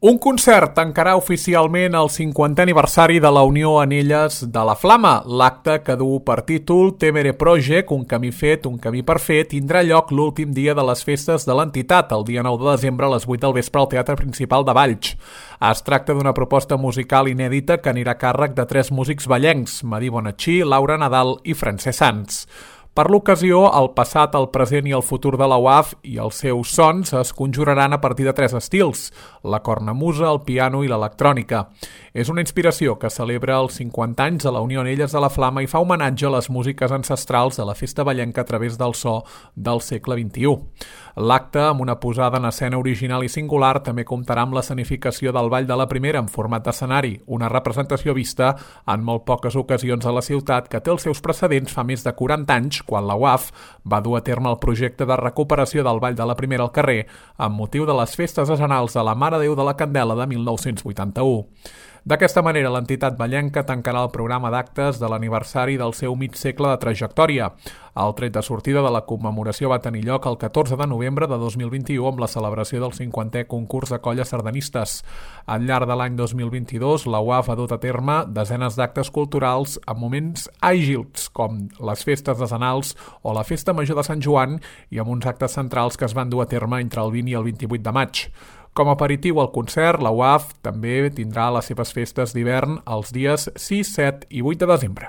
Un concert tancarà oficialment el 50è aniversari de la Unió Anelles de la Flama. L'acte, que du per títol Temere Project, un camí fet, un camí per fer, tindrà lloc l'últim dia de les festes de l'entitat, el dia 9 de desembre a les 8 del vespre al Teatre Principal de Valls. Es tracta d'una proposta musical inèdita que anirà a càrrec de 3 músics vallencs, Madí Bonachí, Laura Nadal i Francesc Sans. Per l'ocasió, el passat, el present i el futur de la UAF i els seus sons es conjuraran a partir de 3 estils, la cornamusa, el piano i l'electrònica. És una inspiració que celebra els 50 anys de la Unió Anelles de la Flama i fa homenatge a les músiques ancestrals de la festa vallenca a través del so del segle XXI. L'acte, amb una posada en escena original i singular, també comptarà amb l'escenificació del Ball de la Primera en format d'escenari, una representació vista en molt poques ocasions a la ciutat que té els seus precedents fa més de 40 anys, quan la UAF va dur a terme el projecte de recuperació del Ball de la Primera al carrer amb motiu de les festes decenals de la Mare Déu de la Candela de 1981. D'aquesta manera, l'entitat vallenca tancarà el programa d'actes de l'aniversari del seu mig segle de trajectòria. El tret de sortida de la commemoració va tenir lloc el 14 de novembre de 2021 amb la celebració del 50è concurs de colles sardanistes. Al llarg de l'any 2022, la UAF ha dut a terme desenes d'actes culturals amb moments àgils, com les festes decenals o la Festa Major de Sant Joan, i amb uns actes centrals que es van dur a terme entre el 20 i el 28 de maig. Com a aperitiu al concert, la UAF també tindrà les seves festes d'hivern els dies 6, 7 i 8 de desembre.